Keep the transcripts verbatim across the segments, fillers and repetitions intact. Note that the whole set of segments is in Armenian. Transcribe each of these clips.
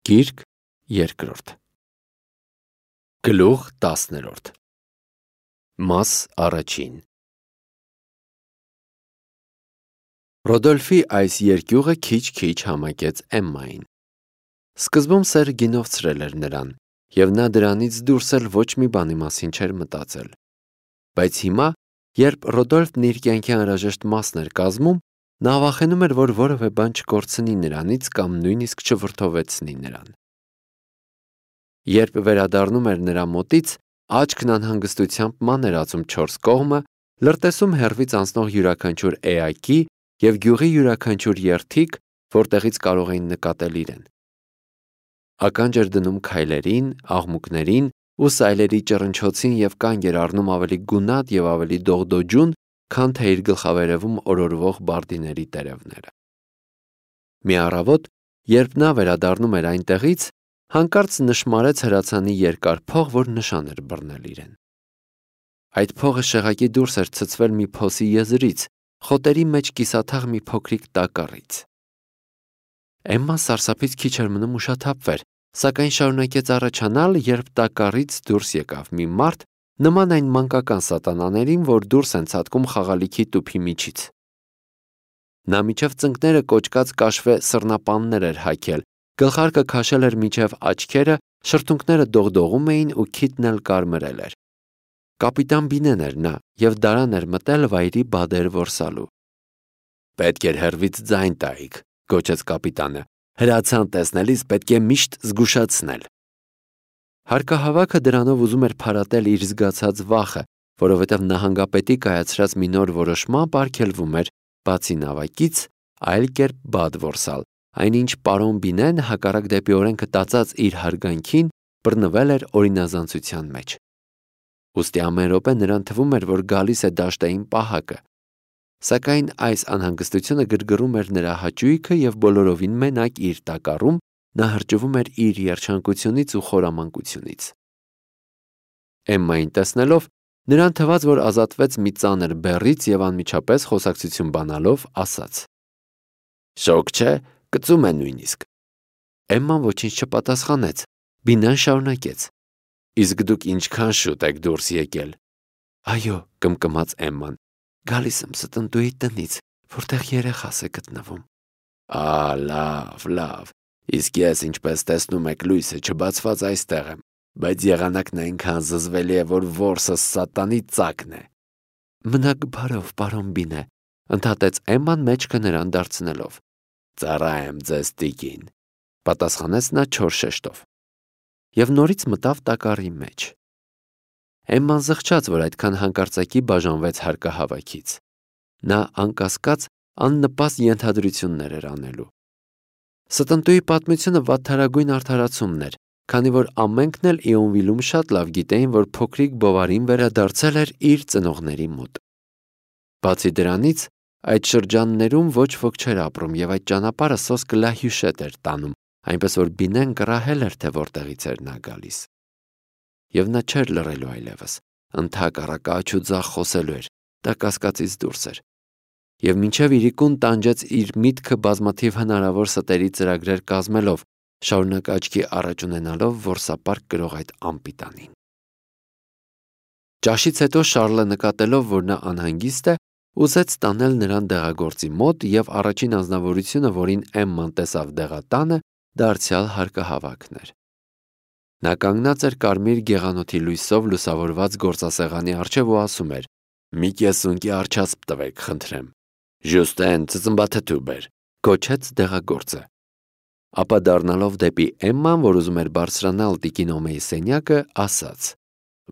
Գիրք երկրորդ Գլուխ տասներորդ Մաս առաջին Ռոդոլֆի այս երկյուղը քիչ-քիչ համակեց Էմմային։ Սկզբում սերը գինովցրել էր նրան, և նա դրանից դուրս էլ ոչ մի բանի մասին չէր մտածել։ Բայց հիմա, երբ Ռոդոլֆն իր կյանքի անհրաժեշտ մասն էր կազմում, նա վախենում էր, որ որևէ բան չկորցնի նրանից կամ նույնիսկ չվրդովեցնի նրան։ Երբ վերադառնում էր նրա մոտից, աչքն անհանգստությամբ մաներացում չորս կողմը, լրտեսում հեռվից անցնող յուրաքանչյուր էակի և գյուղի յուրաքանչյուր երդիկ, որտեղից կարող էին նկատել իրեն։ Ականջ էր դնում քայլերին, աղմուկներին ու սայլերի ճռնչոցին և կանգ էր առնում ավելի գունատ և ավելի դողդոջուն, քան թե իր գլխավերևում օրորվող բարդիների տերևները։ Մի առավոտ, երբ նա վերադառնում էր այնտեղից, հանկարծ նշմարեց հրացանի երկար փող, որ նշան էր բռնել իրեն։ Այդ փողը շեղակի դուրս էր ցցվել մի փոսի եզրից, խոտերի մեջ կիսաթաղ մի փոքրիկ տակառից։ Էմման սարսափից քիչ էր մնում ուշաթափվեր, սակայն շարունակեց առաջանալ, երբ տակառից դուրս եկավ մի մարդ, նման այն մանկական սատանաներին, որ դուրս են ցատկում խաղալիքի տուփի միջից։ Նա մինչև ծնկները կոճկած կաշվե սռնապաններ էր հագել, գլխարկը քաշել էր մինչև աչքերը, շրթունքները դողդողում էին ու քիթն էլ կարմրել էր։ Կապիտան Բինեն էր նա և դարան էր մտել վայրի բադեր որսալու։ «Պետք էր հեռվից ձայն տայիք», գոչեց կապիտանը։ «Հրացան տեսնելիս պետք է միշտ զգուշացնել»։ Հարկահավաքը դրանով ուզում էր փարատել իր զգացած վախը, որովհետև նահանգապետի կայացրած մի նոր որոշմամբ արգելվում էր, բացի նավակից, այլ կերպ բադ որսալ, այնինչ պարոն Բինեն, հակառակ դեպի օրենքը տածած իր հարգանքին, բռնվել էր օրինազանցության մեջ։ Ուստի ամեն րոպե նրան թվում էր, որ գալիս է դաշտային պահակը։ Սակայն այս անհանգստությունը գրգռում էր նրա հաճույքը և բոլորովին մենակ իր տակառում նա հրճվում էր իր երջանկությունից ու խորամանկությունից։ Էմմային տեսնելով, նրան թվաց, որ ազատվեց մի ծանր բեռից և անմիջապես խոսակցություն բանալով ասաց. «Շոգ չէ, կծում է նույնիսկ»։ Էմման ոչինչ չպատասխանեց։ Բինեն շարունակեց. «Իսկ դուք ինչքան շուտ եք դուրս եկել»։ «Այո», կմկմաց Էմման, «գալիս եմ ստնտուի տնից, որտեղ երեխաս է գտնվում»։ «Ա, լավ, լավ, իսկ ես, ինչպես տեսնում եք, լույսը չբացված այստեղ եմ, բայց եղանակն այնքան զզվելի է, որ որսս սատանի ծակն է»։ «Մնաք բարով, պարոն Բինե», ընդհատեց Էմման մեջքը նրան դարձնելով։ «Ծառա եմ ձեզ, տիկին», պատասխանեց նա չոր շեշտով։ Եվ նորից մտավ տակառի մեջ։ Էմման զղջաց, որ այդքան հանկարծակի բաժանվեց հարկահավաքից։ Նա անկասկած աննպաստ ենթադրություններ էր անելու։ Ստնտուի պատմությունը վատթարագույն արդարացումն էր, քանի որ ամենքն էլ Իոնվիլում շատ լավ գիտեին, որ փոքրիկ Բովարին վերադարձել էր իր ծնողների մոտ։ Բացի դրանից, այդ շրջաններում ոչ ոք չէր ապրում և այդ ճանապարհը սոսկը լահյուշետ էր տանում, այնպես որ Բինեն կռահել էր, թե որտեղից էր նա գալիս։ Եվ նա չէր լռելու այլևս, ընդհակառակը աջ ու ձախ խոսելու էր, դա կասկածից դուրս էր։ Եվ մինչև իրիկուն տանջեց իր միտքը բազմաթիվ հնարավոր ստերի ծրագրեր կազմելով, շարունակ աչքի առաջ ունենալով որսապարկ կրող այդ անպիտանին։ Ճաշից հետո Շառլը նկատելով, որ նա անհանգիստ է, ուզեց տանել նրան դեղագործի մոտ և առաջին անձնավորությունը, որին Էմման տեսավ դեղատանը, դարձյալ հարկահավաքն էր։ Նա կանգնած էր կարմիր գեղանոթի լույսով լուսավորված գործասեղանի առջև ու ասում էր. «Մի կեսունկի արչասպ տվեք, խնդրեմ»։ «Ժուստեն, ծծմբաթթու բեր», գոչեց դեղագործը։ Ապա դառնալով դեպի Էմման, որ ուզում էր բարձրանալ տիկին Օմեի սենյակը, ասաց.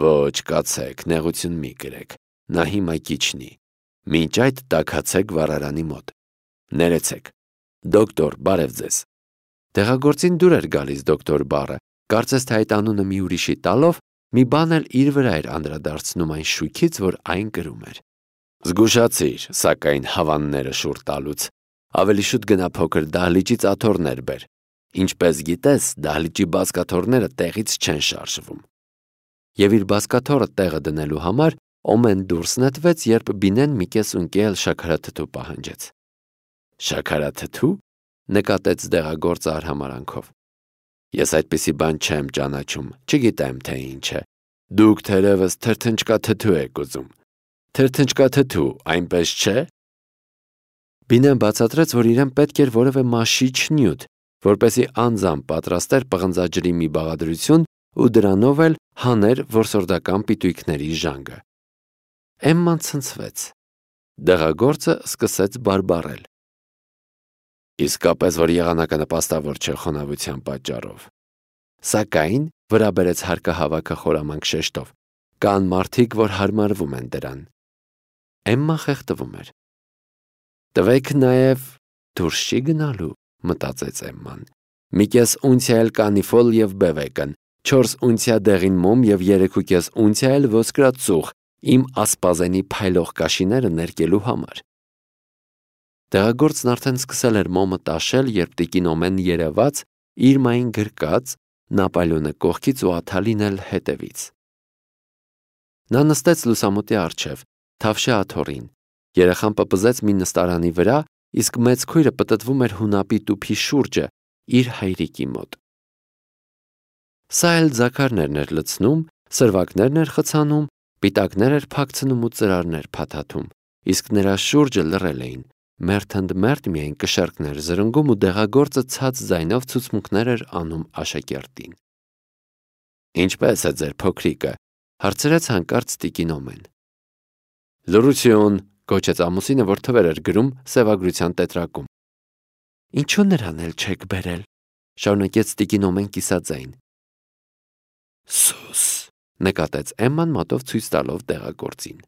«Ոչ, կացեք, նեղություն մի կրեք, նա հիմա կիջնի։ Մինչ այդ տաքացեք վառարանի մոտ։ Ներեցեք։ Դոկտոր, բարև ձեզ»։ Դեղագործին դուր էր գալիս դոկտոր բառը, կարծես թե այդ անունը մի ուրիշի տալով, մի բան էլ իր վրա էր անդրադարձնում այն շուքից, որ այն կրում էր։ «Զգուշացիր, սակայն հավանները շուռ տալուց։ Ավելի շուտ գնա փոքր դահլիճից աթոռներ բեր։ Ինչպես գիտես, դահլիճի բազկաթոռները տեղից չեն շարժվում»։ Եվ իր բազկաթոռը տեղը դնելու համար Օմեն դուրս նետվեց, երբ Բինեն մի կեսունկի էլ շաքարաթթու պահանջեց։ «Շաքարաթթու»։ նկատեց դեղագործը արհամարհանքով։ Ես այդպիսի բան չեմ ճանաչում, չգիտեմ թե ինչ է։ Դուք թերևս թրթնջկաթթու եք ուզում։ Թրթնջկաթթու, այնպես չէ։ Բինեն բացատրեց, որ իրեն պետք էր որևէ մաշիչ նյութ, որպեսզի անձամբ պատրաստեր պղնձաջրի մի բաղադրություն ու դրանով էլ հաներ որսորդական պիտույքների ժանգը։ Էմման ցնցվեց։ Դեղագործը սկսեց բարբառել։ Իսկապես, որ եղանակը նպաստավոր չէ խոնավության պատճառով։ Սակայն, վրա բերեց հարկահավաքը խորամանկ շեշտով, կան մարդիկ, որ հարմարվում են դրան։ Էմման խեղդվում էր։ Տվեք նաև դուրս չի գնալու, մտածեց Էմման։ Մի կես ունցիա էլ կանիֆոլ և բևեկն, չորս ունցիա դեղին մոմ և երեք ու կես ունցիա էլ ոսկրածուխ, իմ ասպազենի փայլող կաշիները ներկելու համար։ Դեղագործն արդեն սկսել էր մոմը տաշել, երբ տիկին Օմեն երևաց, իր մային գրկած, Նապոլեոնը կողքից ու Աթալին էլ հետևից։ Նա նստեց լուսամուտի առջև, թավշյա աթոռին, երեխան պպզեց մի նստարանի վրա, իսկ մեծ քույրը պտտվում էր հունապի տուփի շուրջը, իր հայրիկի մոտ։ Սա էլ ձագարներն էր լցնում, սրվակներն էր խցանում, պիտակներ էր փակցնում ու ծրարներ փաթաթում, իսկ նրա շուրջը լռել էին, մերթընդմերթ միայն կշեռքներ զրնգում ու դեղագործը ցած ձայնով ցուցմունքներ էր անում աշակերտին։ Ինչպե՞ս է ձեր փոքրիկը, հարցրեց հանկարծ տիկին Օմեն։ Լռություն, գոչեց ամուսինը, որ թվեր էր գրում սևագրության տետրակում։ Ինչու նրան էլ չեք բերել, շարունակեց տիկին Օմեն կիսաձայն։ Սուս, նկատեց Էմման մատով ցույց տալով դեղագործին։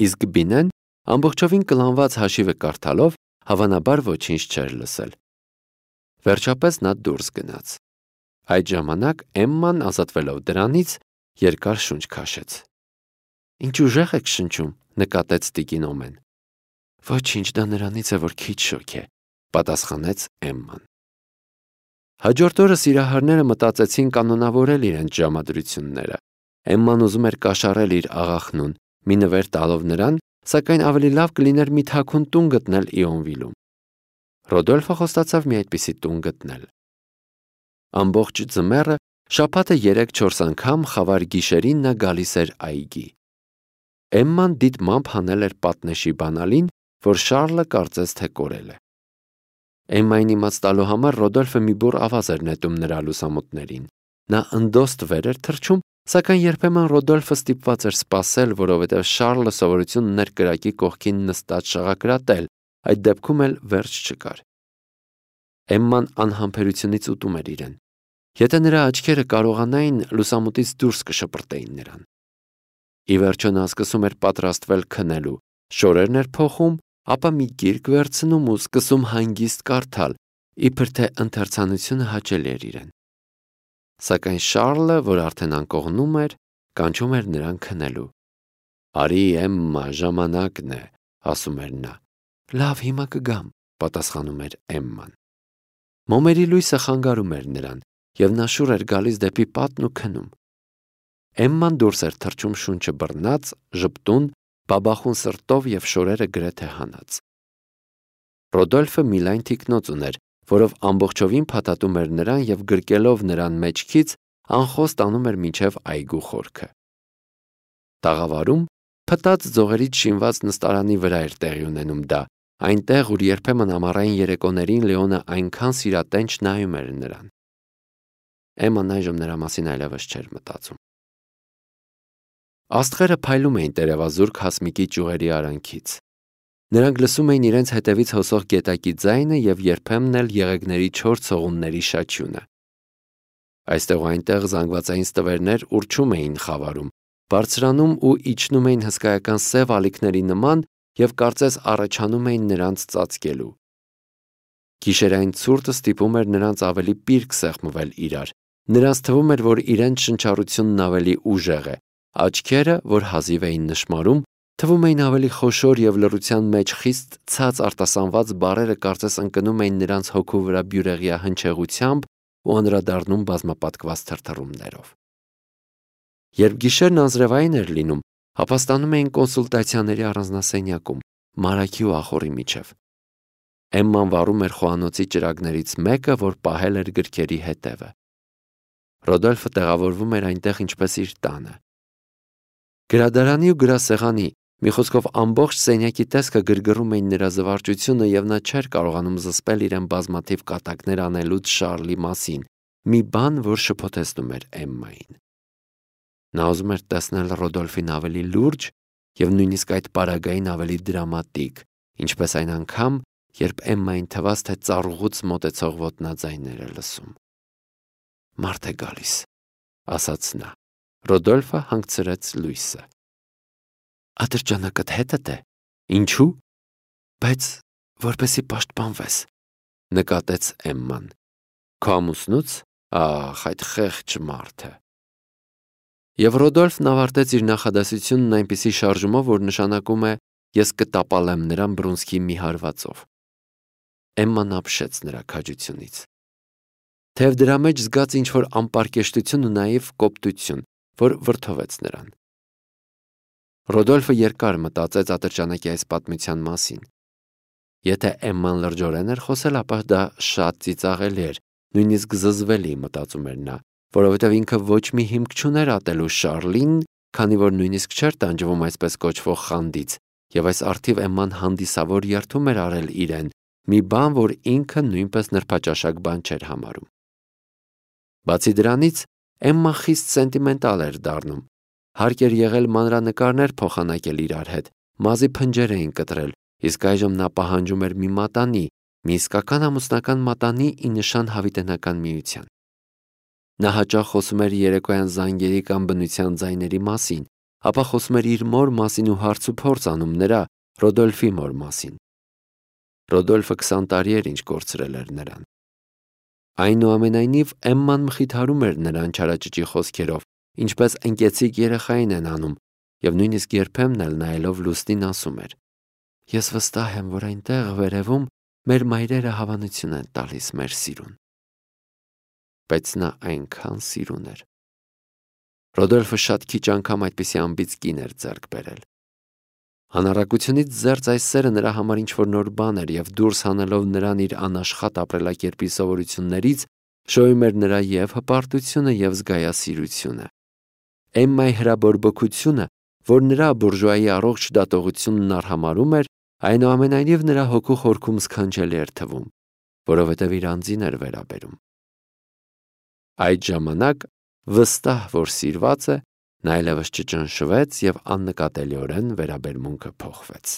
Իսկ Բինեն, ամբողջովին կլանված հաշիվը կարդալով, հավանաբար ոչինչ չէր լսել։ Վերջապես նա դուրս գնաց։ Այդ ժամանակ Էմման, ազատվելով դրանից, երկար շունչ քաշեց։ Ինչ ուժեղ եք շնչում, նկատեց տիկին Օմեն։ Ոչինչ, դա նրանից է, որ քիչ շոգ է, պատասխանեց Էմման։ Հաջորդ օրը սիրահարները մտածեցին կանոնավորել իրենց ժամադրությունները։ Էմման ուզում էր կաշառել իր աղախնուն, մի նվեր տալով նրան, սակայն ավելի լավ կլիներ մի թաքուն տուն գտնել Իոնվիլում։ Ռոդոլֆը խոստացավ մի այդպիսի տուն գտնել։ Ամբողջ ձմեռը, շաբաթը երեք-չորս անգամ խավար գիշերին նա գալիս էր այգի։ Էմման դիտմամբ հանել էր պատնեշի բանալին, որ Շառլը կարծես թե կորել է։ Էմմային իմաց տալու համար Ռոդոլֆը մի բուռ ավազ էր նետում նրա լուսամուտներին։ Նա ընդոստ վեր էր թռչում, սակայն երբեմն Ռոդոլֆը ստիպված էր սպասել, որովհետև Շառլը սովորություն ուներ կրակի կողքին նստած շաղակրատել, այդ դեպքում էլ վերջ չկար։ Էմման անհամբերությունից ուտում էր իրեն։ Եթե նրա աչքերը կարողանային, լուսամուտից դուրս կշպրտեին նրան։ Ի վերջո նա սկսում էր պատրաստվել քնելու, շորերն էր փոխում, ապա մի գիրք վերցնում ու սկսում հանգիստ կարդալ, իբր թե ընթերցանությունը հաճելի էր իրեն։ Սակայն Շառլը, որ արդեն անկողնում էր, կանչում էր նրան քնելու։ Արի Էմմա, ժամանակն է, ասում էր նա։ Լավ, հիմա կգամ, պատասխանում էր Էմման։ Մոմերի լույսը խանգարում էր նրան, և նա շուռ էր գալիս դեպի պատն ու քնում։ Էմման դուրս էր թռչում շունչը բռնած, ժպտուն, բաբախուն սրտով և շորերը գրեթե հանած։ Ռոդոլֆը մի լայն թիկնոց ուներ, որով ամբողջովին փաթաթում էր նրան և գրկելով նրան մեջքից, անխոս տանում էր մինչև այգու խորքը։ Տաղավարում փտած ձողերից շինված նստարանի վրա էր տեղի ունենում դա, այնտեղ, ուր երբեմն ամառային երեկոներին Լեոնը այնքան սիրատենչ նայում էր նրան։ Էմման այժմ նրա մասին այլևս չէր մտածում։ Աստղերը փայլում էին տերևազուրկ հասմիկի ճյուղերի արանքից։ Նրանք լսում էին իրենց հետևից հոսող գետակի ձայնը և երբեմն էլ եղեգների չոր ցողունների շաչյունը։ Այստեղ ու այնտեղ զանգվածային ստվերներ ուռչում էին խավարում, բարձրանում ու իջնում էին հսկայական սև ալիքների նման և կարծես առաջանում էին նրանց ծածկելու։ Գիշերային ցուրտը ստիպում էր նրանց ավելի պիրկ սեղմվել իրար։ Նրանց թվում էր, որ իրենց շնչառությունն ավելի ուժեղ է, աչքերը, որ հազիվ էին նշմարում, թվում էին ավելի խոշոր և լռության մեջ խիստ ցած արտասանված բառերը կարծես ընկնում էին նրանց հոգու վրա բյուրեղյա հնչեղությամբ ու անդրադառնում բազմապատկված թրթռումներով։ Երբ գիշերն անձրևային էր լինում, ապա ստանում էին կոնսուլտացիաների առանձնասենյակում, Մարաքի ու ախոռի միջև։ Էմման վառում էր խոհանոցի ճրագներից մեկը, որ պահել էր գրքերի հետևը։ Ռոդոլֆը տեղավորվում էր այնտեղ ինչպես իր տանը։ Գրադարանի ու գրասեղանի, մի խոսքով ամբողջ սենյակի տեսքը գրգռում էին նրա զվարճությունը, եւ նա չէր կարողանում զսպել իրեն բազմաթիվ կատակներ անելուց Շարլի մասին, մի բան, որ շփոթեցնում էր Էմմային։ Նա ուզում էր տեսնել Ռոդոլֆին ավելի լուրջ եւ նույնիսկ այդ պարագային ավելի դրամատիկ, ինչպես այն անգամ, երբ Էմմային թվաց, թե ծառուղուց մոտեցող ոտնաձայներ է լսում։ «Մարդ է գալիս», ասաց նա։ Ռոդոլֆը հանգցրեց լույսը։ «Ատրճանակդ հետդ է։ Ինչու՞։ Բայց որպեսի պաշտպանվես», նկատեց Էմման։ «Քո ամուսնուց։ Ահ, այդ խեղճ մարդը»։ Եվ Ռոդոլֆն ավարտեց իր նախադասությունն այնպիսի շարժումով, որ նշանակում է «ես կտապալեմ նրան բռունցքի մի հարվածով»։ Էմման ապշեց նրա քաջությունից։ Թեև դրա մեջ զգաց ինչ-որ անպարկեշտություն ու նաիվ կոպտություն, որ վրդովեց նրան։ Ռոդոլֆը երկար մտածեց ատրճանակի այս պատմության մասին։ Եթե Էմման լրջորեն էր խոսել, ապա դա շատ ծիծաղելի էր, նույնիսկ զզվելի, մտածում էր նա, որովհետև ինքը ոչ մի հիմք չուներ ատելու Շարլին, քանի որ նույնիսկ չէր տանջվում այսպես կոչվող խանդից, եւ այս առթիվ Էմման հանդիսավոր երդում էր արել իրեն, մի բան, որ ինքը նույնպես նրբաճաշակ բան չէր համարում։ Բացի դրանից, Էմման խիստ սենտիմենտալ էր դառնում։ Հարկ էր եղել մանրանկարներ փոխանակել իրար հետ, մազի փնջեր էին կտրել, իսկ այժմ նա պահանջում էր մի մատանի, մի իսկական ամուսնական մատանի ի նշան հավիտենական միության։ Նա հաճախ խոսում էր երեկոյան զանգերի կամ բնության ձայների մասին, ապա խոսում էր իր մոր մասին ու հարց ու փորձ անում նրա, Ռոդոլֆի մոր մասին։ Ռոդոլֆը քսան տարի էր ինչ կորցրել էր նրան։ Այնուամենայնիվ Էմման մխիթարում էր նրան չարաճճի խոսքերով, ինչպես ընկեցիկ երեխային են անում, եւ նույնիսկ երբեմն էլ նայելով լուսնին ասում էր. «Ես վստահ եմ, որ այնտեղ վերևում մեր մայրերը հավանություն են տալիս մեր սիրուն»։ Բայց նա այնքան սիրուն էր։ Ռոդոլֆը շատ քիչ անգամ այդպիսի անբիծ կին էր ձեռք բերել։ Անառակությունից զերծ այս սերը նրա համար ինչ-որ նոր բան էր, եւ դուրս հանելով նրան իր անաշխատ ապրելակերպի սովորություններից, շոյում էր նրա եւ հպարտությունը եւ զգայասիրությունը։ Էմմայի հրաբորբոքությունը, որ նրա բուրժուայի առողջ դատողությունն արհամարհում էր, այնուամենայնիվ նրա հոգու խորքում սքանչելի էր թվում, որովհետև իր անձին էր վերաբերում։ Այդ ժամանակ, վստահ որ սիրված է, նա այլևս չճնշվեց եւ աննկատելիորեն վերաբերմունքը փոխվեց։